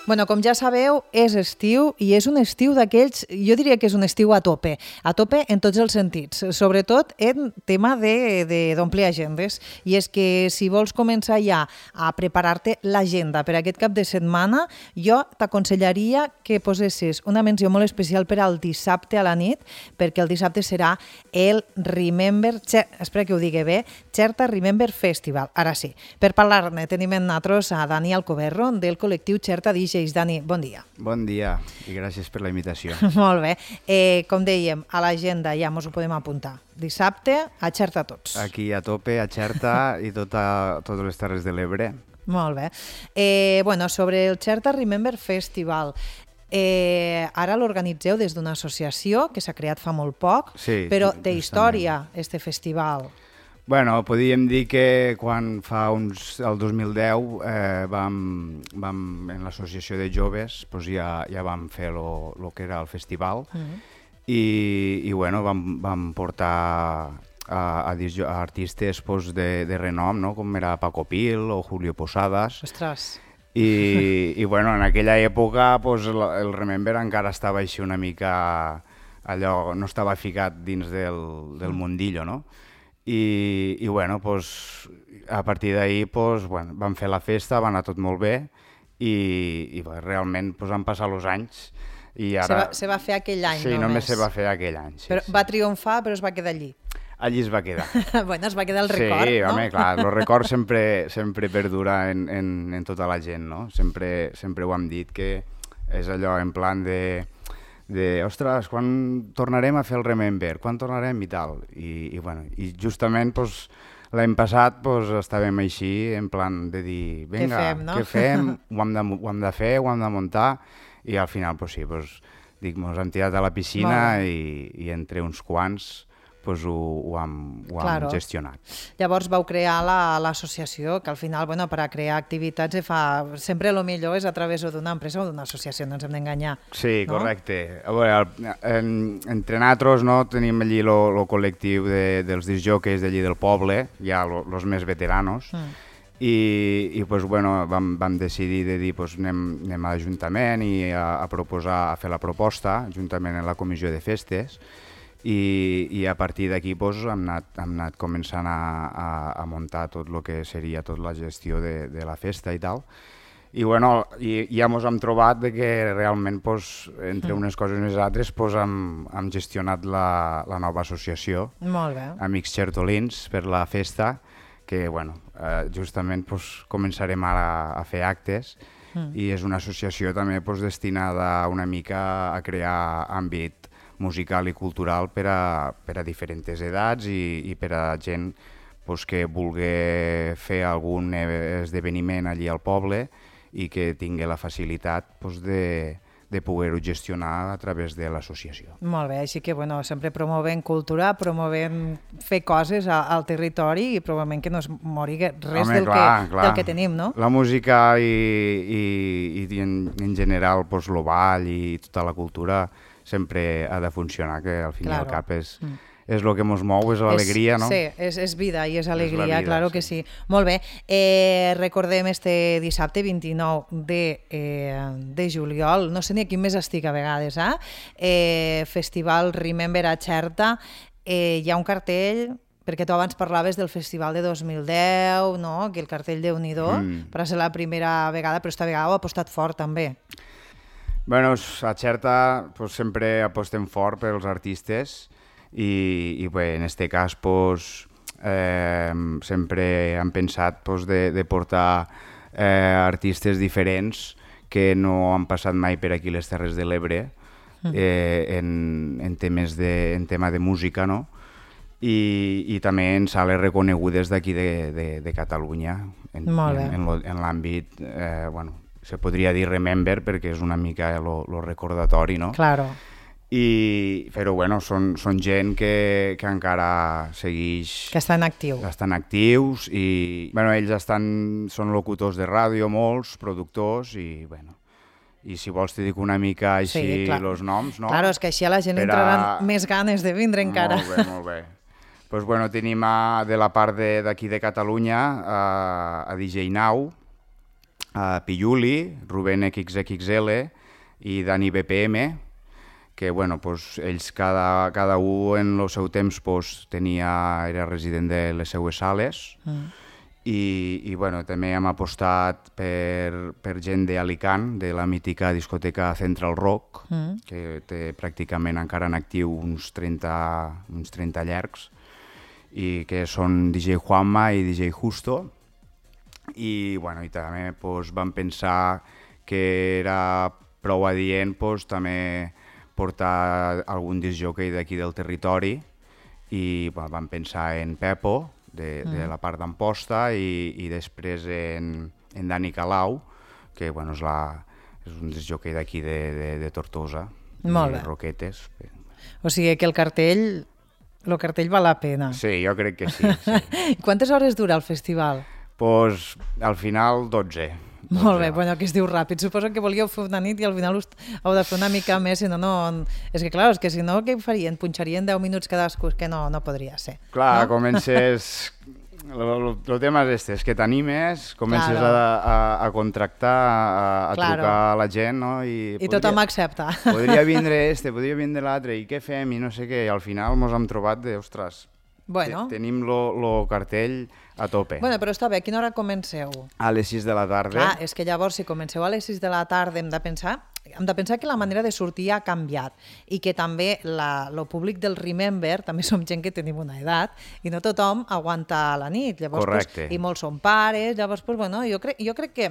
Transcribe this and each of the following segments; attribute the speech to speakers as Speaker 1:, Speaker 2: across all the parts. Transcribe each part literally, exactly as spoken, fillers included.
Speaker 1: Bueno, com ja sabeu, és estiu i és un estiu d'aquells, jo diria que és un estiu a tope, a tope en tots els sentits, sobretot en tema d'omplir agendes. I és que si vols començar ja a preparar-te l'agenda per aquest cap de setmana, jo t'aconsellaria que posessis una menció molt especial per al dissabte a la nit, perquè el dissabte serà el Remember, espera que ho digui bé, Xerta Remember Festival. Ara sí, per parlar-ne tenim en nosaltres a Dani Alcoberro del col·lectiu Xerta D Js. Dani, bon dia.
Speaker 2: Bon dia i gràcies per la invitació.
Speaker 1: Molt bé. Eh, com dèiem, a l'agenda ja ens ho podem apuntar. Dissabte, a Xerta tots.
Speaker 2: Aquí a tope, a Xerta i tota, totes les Terres de l'Ebre.
Speaker 1: Molt bé. Eh, bueno, sobre el Xerta Remember Festival, eh, ara l'organitzeu des d'una associació que s'ha creat fa molt poc,
Speaker 2: sí,
Speaker 1: però té
Speaker 2: justament.
Speaker 1: història, este festival.
Speaker 2: Bueno, podríem dir que quan fa uns, el dos mil deu eh, vam, vam, en l'associació de joves pues ja, ja vam fer el que era el festival mm-hmm. i, i bueno, vam, vam portar a, a, a artistes pues, de, de renom, no? Com era Paco Pil o Julio Posadas.
Speaker 1: Ostres!
Speaker 2: I, i bueno, en aquella època pues, el, el Remember encara estava així una mica, allò, no estava ficat dins del, del mundillo, no? I, i bueno, pues, a partir d'ahir pues, bueno, vam fer la festa, va anar tot molt bé i, i bueno, realment pues, han passat els anys i ara...
Speaker 1: Se va, se va fer aquell any
Speaker 2: sí,
Speaker 1: només.
Speaker 2: Sí, només se va fer aquell any. Sí,
Speaker 1: però
Speaker 2: sí.
Speaker 1: Va triomfar, però es va quedar allí.
Speaker 2: Allí es va quedar.
Speaker 1: Bueno, es va quedar el record,
Speaker 2: sí,
Speaker 1: no?
Speaker 2: Sí, home, clar, el record sempre, sempre perdura en, en, en tota la gent, no? Sempre, sempre ho hem dit, que és allò en plan de... de, ostres, quan tornarem a fer el Remember, quan tornarem i tal. I, i, bueno, i justament pues, l'any passat pues, estàvem així, en plan de dir, vinga,
Speaker 1: què fem, no?
Speaker 2: què fem? Ho hem, de, ho hem de fer, ho hem de muntar, i al final, pues, sí, pues, dic, ens hem tirat a la piscina i, i entre uns quants pues, ho, ho hem, ho hem
Speaker 1: claro.
Speaker 2: gestionat.
Speaker 1: Llavors vau crear l'associació, la, que al final, bueno, per a crear activitats fa... sempre el millor és a través d'una empresa o d'una associació, no ens hem d'enganyar.
Speaker 2: Sí,
Speaker 1: no?
Speaker 2: Correcte. A veure, en, entre nosaltres no, tenim allí el col·lectiu de, dels discjòqueis d'allí del poble, ja els més veteranos, mm. i, i pues, bueno, vam, vam decidir de dir pues, anem, anem a l'Ajuntament i a, a proposar, a fer la proposta, juntament en la comissió de festes, I, i a partir d'aquí pues, hem, anat, hem anat començant a, a, a muntar tot el que seria tota la gestió de, de la festa i tal. I, bueno, i ja ens hem trobat de que realment pues, entre unes coses i les altres pues, hem, hem gestionat la, la nova associació,
Speaker 1: Molt bé.
Speaker 2: Amics Xertolins, per la festa, que bueno, eh, justament pues, començarem ara a fer actes mm. i és una associació també pues, destinada una mica a crear àmbit musical i cultural per a, per a diferents edats i, i per a gent pues, que vulgui fer algun esdeveniment allí al poble i que tingui la facilitat pues, de, de poder-ho gestionar a través de l'associació.
Speaker 1: Molt bé, així que bueno, sempre promovent cultura, promovent fer coses a, al territori i probablement que no es mori res Home, del, clar, que, clar. del que tenim, no?
Speaker 2: La música i, i, i en, en general pues, el ball i tota la cultura sempre ha de funcionar, que al fin claro. i al cap és, mm. és el que ens mou, és l'alegria, no?
Speaker 1: Sí, és, és vida i és alegria, és vida, claro que sí. sí. Molt bé, eh, recordem este dissabte vint-i-nou de, eh, de juliol, no sé ni a quin mes estic a vegades, eh? eh Festival Remember a Xerta, eh, hi ha un cartell... perquè tu abans parlaves del festival de dos mil deu, no? Que el cartell Déu-n'hi-do, mm. per ser la primera vegada, però esta vegada ho ha apostat fort també.
Speaker 2: Bueno, a Xerta pues, sempre apostem fort pels artistes i, i bé, en aquest cas pues, eh, sempre hem pensat pues, de, de portar eh, artistes diferents que no han passat mai per aquí les Terres de l'Ebre eh, en, en, temes de, en tema de música, no? I, i també en sales reconegudes d'aquí de, de, de Catalunya en, en, en, en l'àmbit, eh, bueno, se podria dir Remember perquè és una mica el recordatori, no?
Speaker 1: Claro.
Speaker 2: I, però bueno, són, són gent que, que encara segueix...
Speaker 1: Que estan actius.
Speaker 2: Estan actius i bueno, ells estan, són locutors de ràdio, molts, productors i bueno... I si vols te dic una mica així sí, els noms, no?
Speaker 1: Claro, és que així a la gent li entraran més ganes de vindre encara.
Speaker 2: Molt bé, molt bé. Pues bueno, tenim a, de la part d'aquí de, de Catalunya a, a D J Now, uh, Piuli, Rubén X X L i Dani B P M, que bueno, pues, ells cada, cada un en el seu temps pues, tenia, era resident de les seues sales, mm. i, i bueno, també hem apostat per, per gent d'Alicant, de la mítica discoteca Central Rock, mm. que té pràcticament encara en actiu uns trenta, uns trenta llargs, i que són D J Juanma i D J Justo, i, bueno, i també pues, vam pensar que era prou adient pues, també portar algun discjòquei d'aquí del territori i bueno, vam pensar en Pepo, de, mm. de la part d'Amposta, i, i després en, en Dani Calau, que bueno, és, la, és un discjòquei d'aquí de, de, de Tortosa,
Speaker 1: molt
Speaker 2: de Roquetes.
Speaker 1: O sigui que el cartell, el cartell val la pena.
Speaker 2: Sí, jo crec que sí. sí.
Speaker 1: Quantes hores dura el festival?
Speaker 2: Pues, al final, dotze.
Speaker 1: Molt bé, bueno, que es diu ràpid. Suposo que volíeu fer una nit i al final us heu de fer una mica més, si no, no... És que, clar, és que si no, què farien? Punxarien deu minuts cadascú, que no, no podria ser.
Speaker 2: Clar,
Speaker 1: no?
Speaker 2: Comences... El tema és este, és que t'animes, comences claro. a, a, a contractar, a, a claro. trucar a la gent, no? I,
Speaker 1: I podria, tothom accepta.
Speaker 2: Podria vindre este, podria vindre l'altre, i què fem, i no sé què, i al final mos hem trobat de, ostres,
Speaker 1: bueno.
Speaker 2: tenim el cartell a tope.
Speaker 1: Bueno, però està bé, a quina hora comenceu?
Speaker 2: A les sis de la tarda.
Speaker 1: Clar, és que llavors si comenceu a les sis de la tarda hem de pensar, hem de pensar que la manera de sortir ha canviat i que també la, el públic del Remember, també som gent que tenim una edat i no tothom aguanta la nit. Llavors,
Speaker 2: correcte.
Speaker 1: Pues, i molts són pares, llavors pues, bueno, jo, crec, jo crec que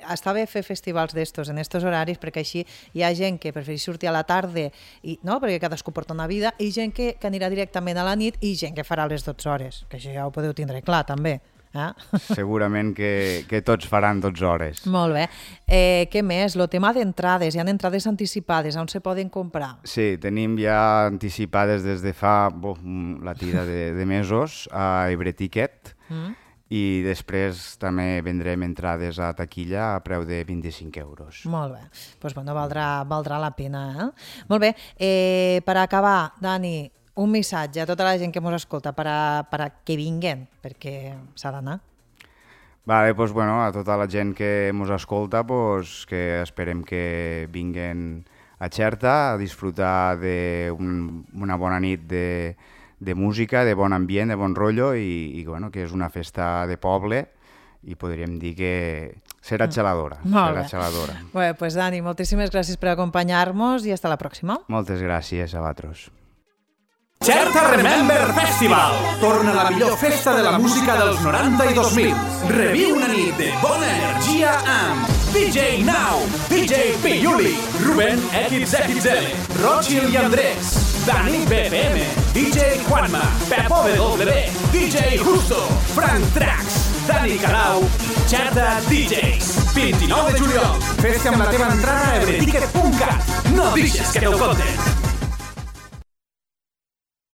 Speaker 1: està bé fer festivals d'estos en estos horaris perquè així hi ha gent que prefereix sortir a la tarda i, no? Perquè cadascú porta una vida, i gent que, que anirà directament a la nit i gent que farà les dotze hores, que això ja ho podeu tindre clar també. Eh?
Speaker 2: Segurament que, que tots faran dotze hores.
Speaker 1: Molt bé. Eh, què més? El tema d'entrades. Hi ha entrades anticipades. On se poden comprar?
Speaker 2: Sí, tenim ja anticipades des de fa bo, la tira de, de mesos a Ebreticket, mm. i després també vendrem entrades a taquilla a preu de vint-i-cinc euros.
Speaker 1: Molt bé. Doncs bueno, valdrà, valdrà la pena. Eh? Molt bé. Eh, per acabar, Dani, un missatge a tota la gent que ens escolta per a, per a que vinguen, perquè s'ha d'anar.
Speaker 2: Vale, pues bueno, a tota la gent que ens escolta, pues, que esperem que vinguen a Xerta a disfrutar d'una un, bona nit de, de música, de bon ambient, de bon rotllo, i, i bueno, que és una festa de poble i podríem dir que serà xaladora.
Speaker 1: Mm.
Speaker 2: Serà xaladora.
Speaker 1: Bé, pues Dani, moltíssimes gràcies per acompanyar-nos i hasta la pròxima.
Speaker 2: Moltes gràcies a vosaltres.
Speaker 3: Xerta Remember Festival. Torna la millor festa de la música dels noranta i dos mil. Reviu una nit de bona energia amb D J Now, D J Piuli, Rubén X X L, Rochil i Andrés, Dani B P M, D J Juanma, Pepo W, D J Justo, Frank Trax, Dani Calau i Xerta D Js. vint-i-nou de juliol. Festa amb la teva entrada a ebreticket punt cat. No deixes que te'l conten.